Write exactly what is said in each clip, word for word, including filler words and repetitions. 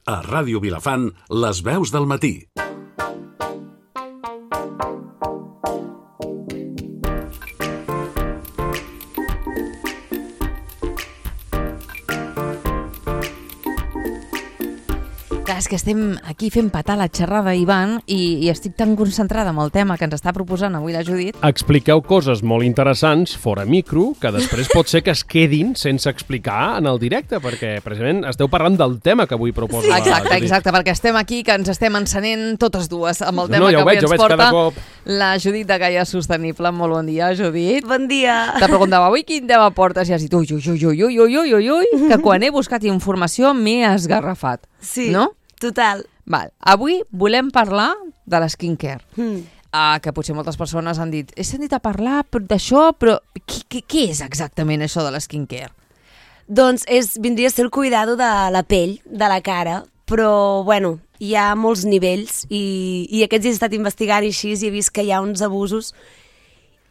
A Ràdio Vilafant, les veus del matí. Clar, és que estem aquí fent patar la xerrada, Ivan, i, i estic tan concentrada amb el tema que ens està proposant avui la Judit. Expliqueu coses molt interessants fora micro, que després pot ser que es quedin sense explicar en el directe, perquè precisament esteu parlant del tema que avui proposa. Sí. Exacte, la Judit. exacte, perquè estem aquí, que ens estem encenent totes dues amb el tema No, ja que ho avui veig, ens ho veig porta cada cop. la Judit de Gaia Sostenible. Molt bon dia, Judit. Bon dia. Te preguntava avui quin tema portes i has dit ui, ui, ui, ui, ui, ui, ui, ui, que quan he buscat informació m'he esgarrafat. Sí, no? Total. Val. Avui volem parlar de la skincare. Mm. Uh, que potser moltes persones han dit he sentit a parlar d'això, però què, què, què és exactament això de la skincare? Doncs és, vindria a ser el cuidado de la pell, de la cara, però, bueno, hi ha molts nivells i, i aquests he estat investigant i així i he vist que hi ha uns abusos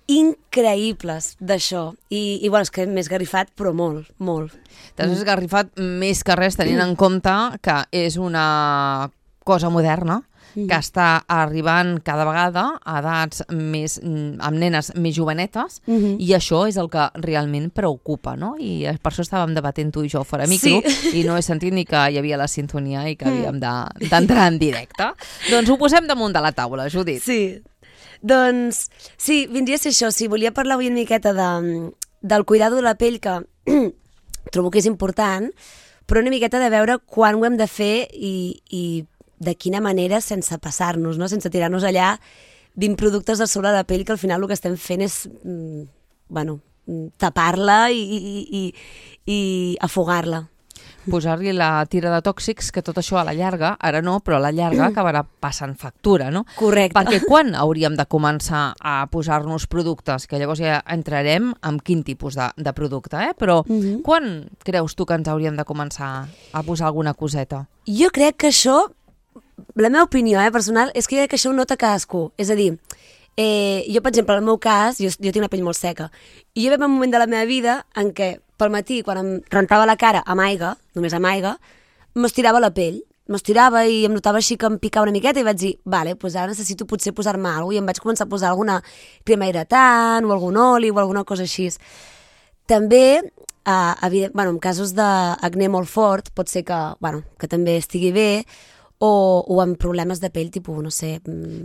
increïbles d'això. I, i, bueno, és que m'he esgarrifat, però molt, molt. T'has mm. esgarrifat més que res tenint en compte que és una cosa moderna que està arribant cada vegada a edats més, amb nenes més jovenetes, uh-huh. i això és el que realment preocupa, no? I per això estàvem debatent tu i jo fora micro, sí. i no he sentit ni que hi havia la sintonia i que havíem d'entrar en directe. Doncs ho posem damunt de la taula, Judit. Sí, doncs sí, vindria a ser això. Sí, volia parlar avui una miqueta de, del cuidado de la pell, que trobo que és important, però una miqueta de veure quan ho hem de fer i, i de quina manera sense passar-nos, no? Sense tirar-nos allà vint productes a sobre de la pell que al final el que estem fent és mm, bueno, tapar-la i, i, i, i afogar-la. Posar-li la tira de tòxics, que tot això a la llarga, ara no, però a la llarga acabarà passant factura, no? Correcte. Perquè quan hauríem de començar a posar-nos productes? Que llavors ja entrarem en quin tipus de, de producte, eh? Però uh-huh. quan creus tu que ens hauríem de començar a posar alguna coseta? Jo crec que això, la meva opinió eh, personal, és que jo crec que això ho nota cadascú. És a dir, eh, jo, per exemple, en el meu cas, jo, jo tinc una pell molt seca, i jo veig un moment de la meva vida en què pel matí, quan em rentava la cara amb aigua, només amb aigua, m'estirava la pell. M'estirava i em notava així que em picava una miqueta i vaig dir, vale, doncs ara necessito potser posar-me alguna cosa, i em vaig començar a posar alguna crema hidratant o algun oli o alguna cosa així. També, eh, evident, bueno, en casos d'acné molt fort, pot ser que, bueno, que també estigui bé, o, o amb problemes de pell, tipus, no sé...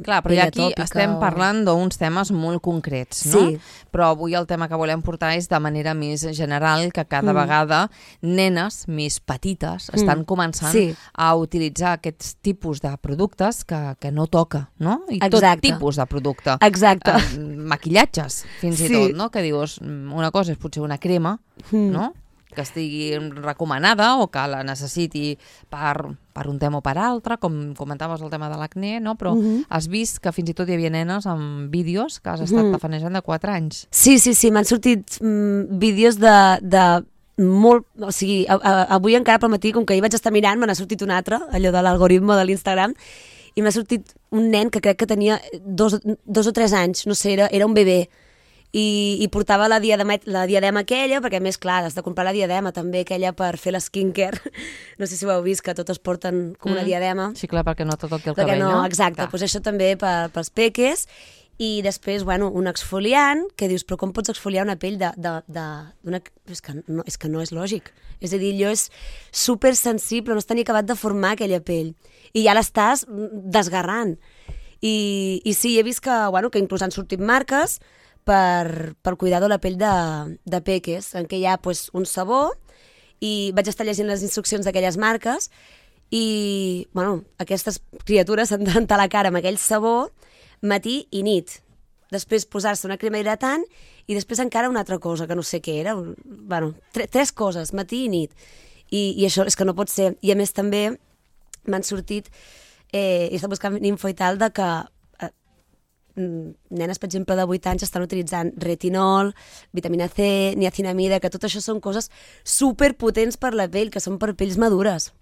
Clar, però ja aquí estem o... parlant d'uns temes molt concrets, no? Sí. Però avui el tema que volem portar és de manera més general, que cada mm. vegada nenes més petites estan mm. començant sí. a utilitzar aquests tipus de productes que, que no toca, no? I Exacte. Tot tipus de producte. Exacte. Eh, maquillatges, fins sí. i tot, no? Que dius, una cosa és potser una crema, mm. no? Que estigui recomanada o que la necessiti per, per un tema o per altre, com comentaves el tema de l'acné, no? Però uh-huh. has vist que fins i tot hi havia nenes amb vídeos que has estat uh-huh. tafanejant de quatre anys. Sí, sí, sí, m'han sortit mm, vídeos de, de molt... O sigui, a, a, avui encara pel matí, com que hi vaig estar mirant, me n'ha sortit un altre, allò de l'algoritme de l'Instagram, i m'ha sortit un nen que crec que tenia dos, dos o tres anys, no sé, era, era un bebè, I, i portava la diadema, la diadema aquella, perquè a més, clar, has de comprar la diadema també aquella per fer la skincare. No sé si ho heu vist, que totes porten com una mm. diadema. Sí, clar, perquè no tot el que el perquè cabell, no? no? Exacte, doncs això també per, pels peques. I després, bueno, un exfoliant, que dius, però com pots exfoliar una pell de... de, de d'una... És, que no, és que no és lògic. És a dir, allò és super sensible, no està ni acabat de formar aquella pell. I ja l'estàs desgarrant. I, i sí, he vist que, bueno, que inclús han sortit marques per, per cuidar de la pell de, de peques, en què hi ha pues, un sabó, i vaig estar llegint les instruccions d'aquelles marques, i bueno, aquestes criatures s'han de rentar la cara amb aquell sabó matí i nit. Després posar-se una crema hidratant i després encara una altra cosa, que no sé què era. Bueno, tre tres coses, matí i nit. I, I això és que no pot ser. I a més també m'han sortit, eh, he estat buscant info i tal, de que nenes, per exemple, de vuit anys estan utilitzant retinol, vitamina C, niacinamida, que tot això són coses superpotents per la pell, que són per pells madures.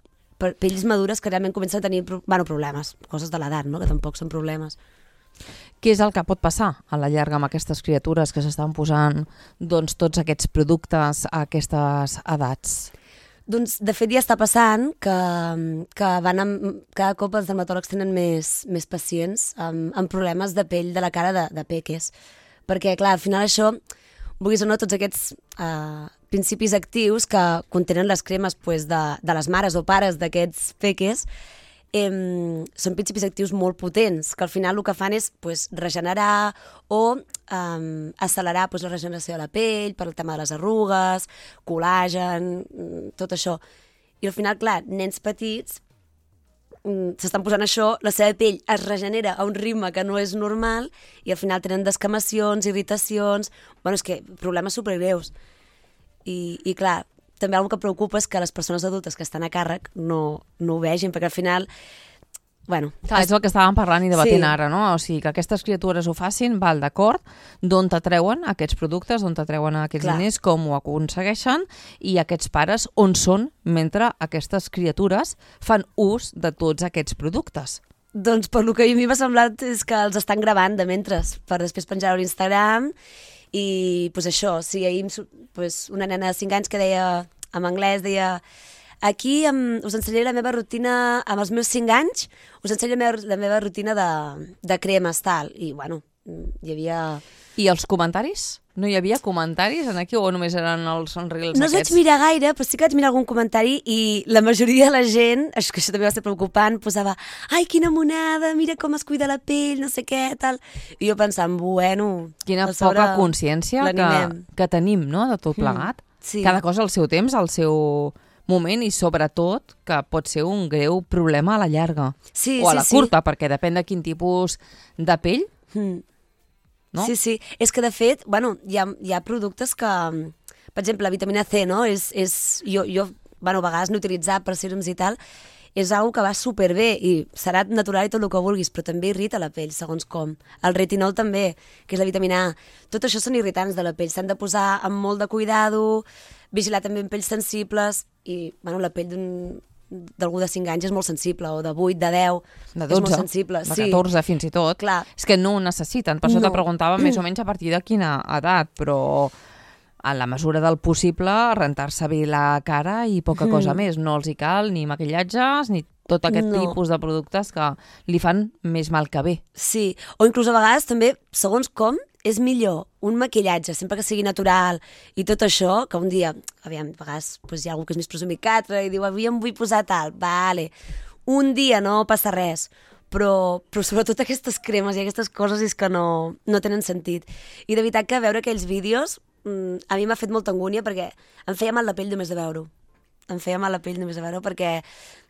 Per pells madures que realment comencen a tenir bueno, problemes, coses de l'edat, no? Que tampoc són problemes. Què és el que pot passar a la llarga amb aquestes criatures que s'estan posant doncs, tots aquests productes a aquestes edats? Doncs, de fet, ja està passant que, que van amb, cada cop els dermatòlegs tenen més, més pacients amb, amb problemes de pell de la cara de, de peques. Perquè, clar, al final això, vulguis o no, tots aquests uh, principis actius que contenen les cremes pues, de, de les mares o pares d'aquests peques, eh, són principis actius molt potents, que al final el que fan és pues, regenerar o um, accelerar pues, la regeneració de la pell per el tema de les arrugues, col·làgen, tot això. I al final, clar, nens petits s'estan posant això, la seva pell es regenera a un ritme que no és normal i al final tenen descamacions, irritacions, bueno, és que problemes supergreus. I, i clar, també una cosa que preocupa és que les persones adultes que estan a càrrec no, no ho vegin, perquè al final, bueno... Clar, és el que estàvem parlant i debatint Sí. ara, no? O sigui, que aquestes criatures ho facin, val, d'acord, d'on t'atreuen aquests productes, d'on t'atreuen aquests Clar. diners, com ho aconsegueixen, i aquests pares on són mentre aquestes criatures fan ús de tots aquests productes. Doncs per lo que a mi m'ha semblat és que els estan gravant de mentres, per després penjar-ho a l'Instagram. I pues això, sí, ahir em surt, pues, una nena de cinc anys que deia, en anglès, deia aquí em, us ensenyaré la meva rutina, amb els meus cinc anys, us ensenyaré la meva, la meva rutina de, de cremes, tal. I, bueno, hi havia... I els comentaris? No hi havia comentaris en aquí o només eren els reels No els vaig aquests? mirar gaire, però sí que vaig mirar algun comentari i la majoria de la gent, és que això també va ser preocupant, posava ai, quina monada, mira com es cuida la pell, no sé què, tal. I jo pensant, bueno... Quina a sobre poca consciència que, l'animem. que tenim, no?, de tot plegat. Mm, sí. Cada cosa al seu temps, al seu moment i sobretot que pot ser un greu problema a la llarga. Sí, o a sí, la sí. curta, perquè depèn de quin tipus de pell. Mm. No? Sí, sí. És que, de fet, bueno, hi ha, hi ha productes que... Per exemple, la vitamina C, no? És, és, jo, jo, bueno, a vegades n'he utilitzat per sèrums i tal, és una que va superbé i serà natural i tot el que vulguis, però també irrita la pell, segons com. El retinol també, que és la vitamina A. Tot això són irritants de la pell. S'han de posar amb molt de cuidado, vigilar també en pells sensibles i, bueno, la pell d'un d'algú de cinc anys és molt sensible, o de vuit, de deu, De és dotze, molt sensible. de sí. catorze fins i tot. Clar. És que no ho necessiten. Per això No. te preguntava més o menys a partir de quina edat, però a la mesura del possible rentar-se bé la cara i poca cosa més. No els hi cal ni maquillatges ni tot aquest No. tipus de productes que li fan més mal que bé. Sí, o inclús a vegades també, segons com, és millor un maquillatge, sempre que sigui natural i tot això, que un dia, aviam, a vegades doncs, hi ha algú que és més presumit que altre i diu, avui em vull posar tal, vale, un dia no passa res, però, però sobretot aquestes cremes i aquestes coses és que no, no tenen sentit. I de veritat que veure aquells vídeos mm, a mi m'ha fet molta angúnia perquè em feia mal la pell només de veure-ho. Em feia mal la pell només de veure perquè,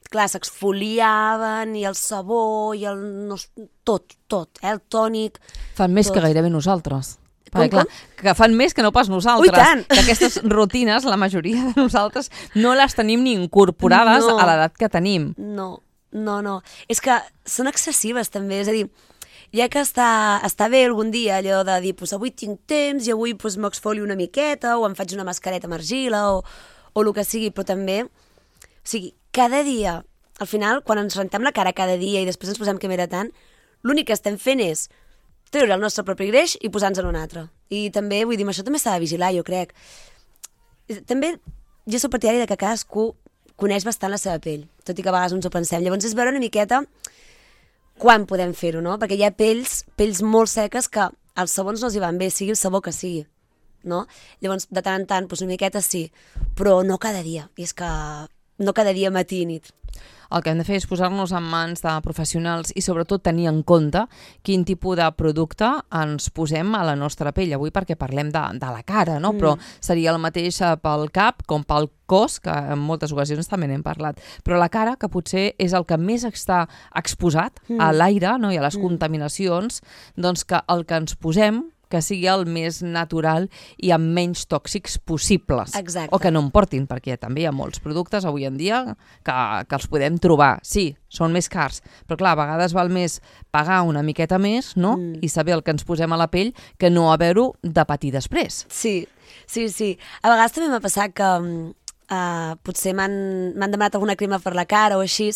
clar, s'exfoliaven i el sabó i el... No, tot, tot, eh? El tònic... Fan més tot. que gairebé nosaltres. Com, Perquè, clar, que fan més que no pas nosaltres. Ui, tant! Que aquestes rutines, la majoria de nosaltres, no les tenim ni incorporades No. a l'edat que tenim. No, no, no. És que són excessives, també. És a dir, ja que està, està bé algun dia allò de dir, pues, avui tinc temps i avui pues, m'exfolio una miqueta o em faig una mascareta amb argila o, o el que sigui, però també... O sigui, cada dia, al final, quan ens rentem la cara cada dia i després ens posem crema hidratant, l'únic que estem fent és treure el nostre propi greix i posar-nos en un altre. I també, vull dir, això també s'ha de vigilar, jo crec. També, jo soc partidari de que cadascú coneix bastant la seva pell, tot i que a vegades ens ho pensem. Llavors és veure una miqueta quan podem fer-ho, no? Perquè hi ha pells, pells molt seques que els sabons no els hi van bé, sigui el sabó que sigui, no? Llavors, de tant en tant, doncs una miqueta sí, però no cada dia. I és que no cada dia matí i nit. El que hem de fer és posar-nos en mans de professionals i sobretot tenir en compte quin tipus de producte ens posem a la nostra pell. Avui perquè parlem de, de la cara, no? Mm. Però seria el mateix pel cap com pel cos, que en moltes ocasions també n'hem parlat. Però la cara, que potser és el que més està exposat mm. a l'aire, no? I a les mm. contaminacions, doncs que el que ens posem que sigui el més natural i amb menys tòxics possibles. Exacte. O que no en portin, perquè també hi ha molts productes avui en dia que, que els podem trobar. Sí, són més cars, però clar, a vegades val més pagar una miqueta més, no? Mm. I saber el que ens posem a la pell que no haver-ho de patir després. Sí, sí, sí. A vegades també m'ha passat que uh, potser m'han m'han demanat alguna crema per la cara o així,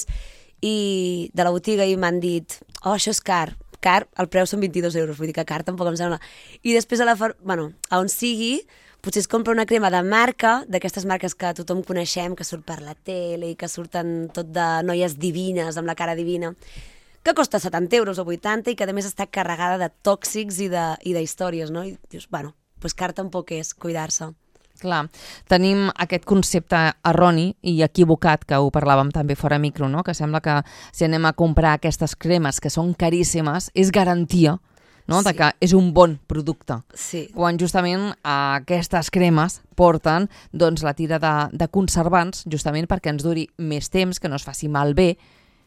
i de la botiga i m'han dit, oh, això és car. Car, el preu són vint-i-dos euros, vull dir que car tampoc em sembla. I després a la far... bueno, a on sigui, potser es compra una crema de marca, d'aquestes marques que tothom coneixem, que surt per la tele i que surten tot de noies divines, amb la cara divina, que costa setanta euros o vuitanta i que a més està carregada de tòxics i de, i de històries, no? I dius, bueno, pues car tampoc és cuidar-se. Clar, tenim aquest concepte erroni i equivocat, que ho parlàvem també fora micro, no? Que sembla que si anem a comprar aquestes cremes que són caríssimes, és garantia, no? Sí. De que és un bon producte. Sí. Quan justament aquestes cremes porten doncs, la tira de, de conservants justament perquè ens duri més temps, que no es faci malbé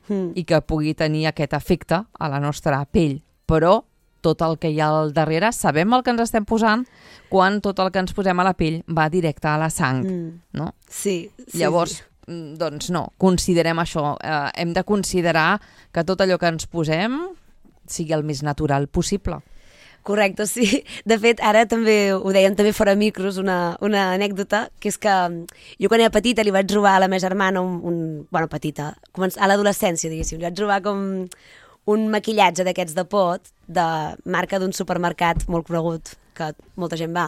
mm. i que pugui tenir aquest efecte a la nostra pell. Però tot el que hi ha al darrere, sabem el que ens estem posant quan tot el que ens posem a la pell va directe a la sang, mm. no? Sí. sí Llavors, sí. doncs no, considerem això. Eh, hem de considerar que tot allò que ens posem sigui el més natural possible. Correcte, sí. De fet, ara també ho dèiem també fora micros, una, una anècdota, que és que jo quan era petita li vaig robar a la meva germana un... un bueno, petita, a l'adolescència, diguéssim, li vaig robar com un maquillatge d'aquests de pot, de marca d'un supermercat molt conegut, que molta gent va.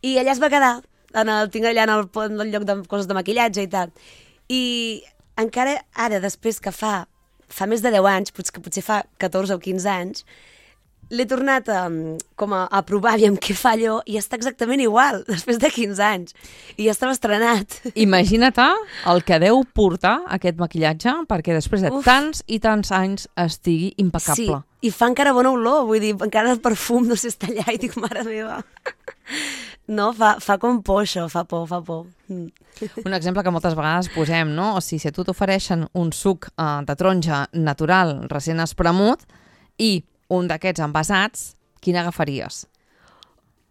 I allà es va quedar, en el, tinc allà en el, en el lloc de coses de maquillatge i tal. I encara ara, després que fa, fa més de deu anys, potser, que potser fa catorze o quinze anys, l'he tornat a, com a, a provar aviam què fa allò i està exactament igual, després de quinze anys. I ja estava estrenat. Imagina't el que deu portar aquest maquillatge perquè després de Uf. tants i tants anys estigui impecable. Sí, i fa encara bona olor, vull dir, encara el perfum no sé, està allà i dic, mare meva. No, fa, fa com por això, fa por, fa por. Mm. Un exemple que moltes vegades posem, no? O sigui, si a tu t'ofereixen un suc uh, de taronja natural, recent espremut, i un d'aquests envasats, quin agafaries?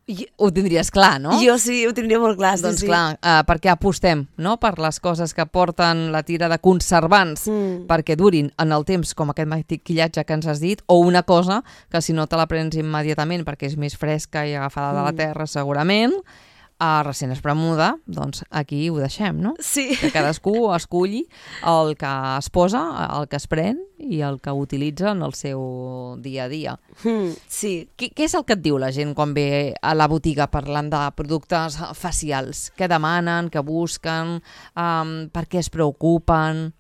Jo, ho tindries clar, no? Jo sí, ho tindria molt clar. Doncs sí, clar, uh, perquè apostem, no?, per les coses que porten la tira de conservants mm. perquè durin en el temps, com aquest maquillatge que ens has dit, o una cosa que si no te la prens immediatament perquè és més fresca i agafada mm. de la terra segurament, a recent espremuda, doncs aquí ho deixem, no? Sí. Que cadascú esculli el que es posa, el que es pren i el que utilitza en el seu dia a dia. Mm, sí. Què, què és el que et diu la gent quan ve a la botiga parlant de productes facials? Què demanen, què busquen, um, per què es preocupen?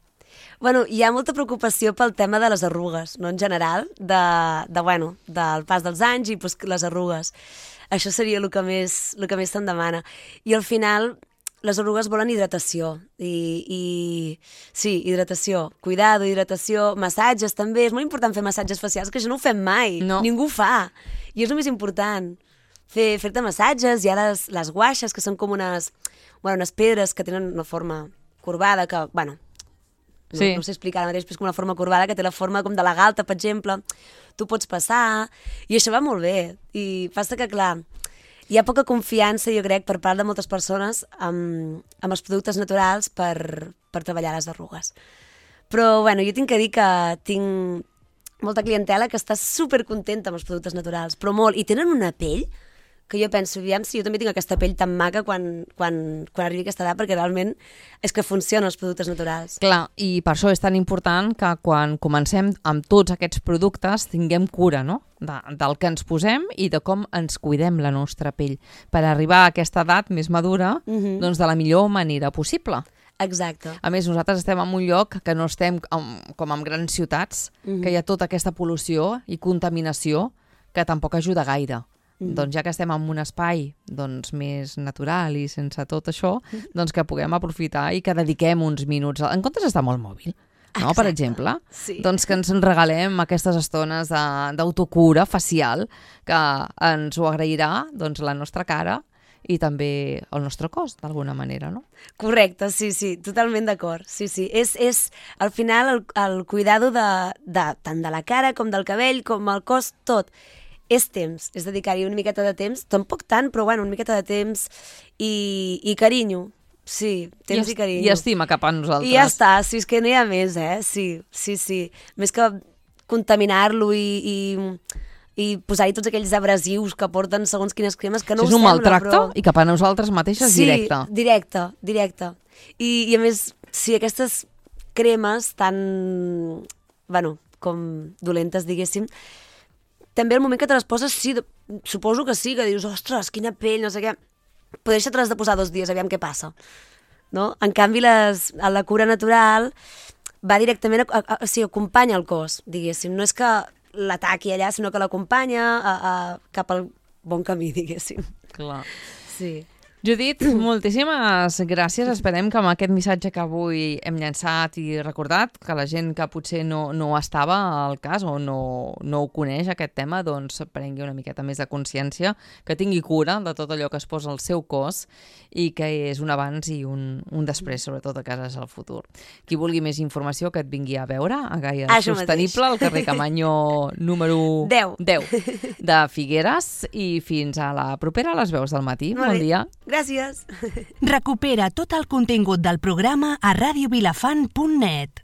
Bueno, hi ha molta preocupació pel tema de les arrugues, no en general, de, de, bueno, del pas dels anys i pues, les arrugues. Això seria el que més, el que més se'n demana. I al final, les arrugues volen hidratació. I, i sí, hidratació. Cuidado, hidratació, massatges també. És molt important fer massatges facials, que això no ho fem mai. No. Ningú ho fa. I és el més important. Fer, fer-te massatges. Hi ha les, les guaixes, que són com unes, bueno, unes pedres que tenen una forma corbada, que, bueno, no, sí. no sé explicar ara mateix, però és com una forma corbada que té la forma com de la galta, per exemple. Tu pots passar, i això va molt bé. I passa que, clar, hi ha poca confiança, jo crec, per part de moltes persones amb, amb els productes naturals per, per treballar les arrugues. Però, bueno, jo tinc que dir que tinc molta clientela que està supercontenta amb els productes naturals, però molt, i tenen una pell que jo penso, aviam si jo també tinc aquesta pell tan maca quan, quan, quan arribi aquesta edat, perquè realment és que funcionen els productes naturals. Clar, i per això és tan important que quan comencem amb tots aquests productes tinguem cura, no?, de, del que ens posem i de com ens cuidem la nostra pell, per arribar a aquesta edat més madura, mm-hmm. doncs de la millor manera possible. Exacte. A més, nosaltres estem en un lloc que no estem com, com en grans ciutats, mm-hmm. que hi ha tota aquesta pol·lució i contaminació que tampoc ajuda gaire. Mm. Doncs ja que estem en un espai doncs, més natural i sense tot això, doncs que puguem aprofitar i que dediquem uns minuts, en comptes d'estar molt mòbil, no? Per exemple, sí. doncs que ens regalem aquestes estones d'autocura facial que ens ho agrairà doncs, la nostra cara i també el nostre cos, d'alguna manera, no? Correcte, sí, sí, totalment d'acord. Sí, sí, és, és al final el, el cuidado de, de, tant de la cara com del cabell, com el cos, tot. És temps, és dedicar-hi una miqueta de temps, tampoc tant, però bueno, una miqueta de temps i, i carinyo, sí, temps i, i carinyo. I estima cap a nosaltres. I ja està, sí, és que no hi ha més, eh? Sí, sí, sí. Més que contaminar-lo i, i, i posar-hi tots aquells abrasius que porten segons quines cremes que no sí, ho sembla. És un sembla, maltracte però... i cap a nosaltres mateixes sí, directe. Sí, directe, directe. I, I a més, sí, aquestes cremes tan, bueno, com dolentes, diguéssim, també al moment que te les poses, sí, suposo que sí, que dius, ostres, quina pell, no sé què, però deixa-te-les de posar dos dies, aviam què passa. No? En canvi, les, la cura natural va directament, a, a, o sigui, acompanya el cos, diguéssim. No és que l'ataqui allà, sinó que l'acompanya a, a, cap al bon camí, diguéssim. Clar. Sí. Judit, moltíssimes gràcies. Esperem que amb aquest missatge que avui hem llançat i recordat, que la gent que potser no, no estava al cas o no, no ho coneix, aquest tema, doncs prengui una miqueta més de consciència, que tingui cura de tot allò que es posa al seu cos i que és un abans i un, un després, sobretot a cases al futur. Qui vulgui més informació, que et vingui a veure a Gaia Això Sostenible, mateix. al carrer Camanyo número deu. deu de Figueres, i fins a la propera a les veus del matí. Molt Bon bé. dia. Gràcies. Recupera tot el contingut del programa a radio vilafant punt net.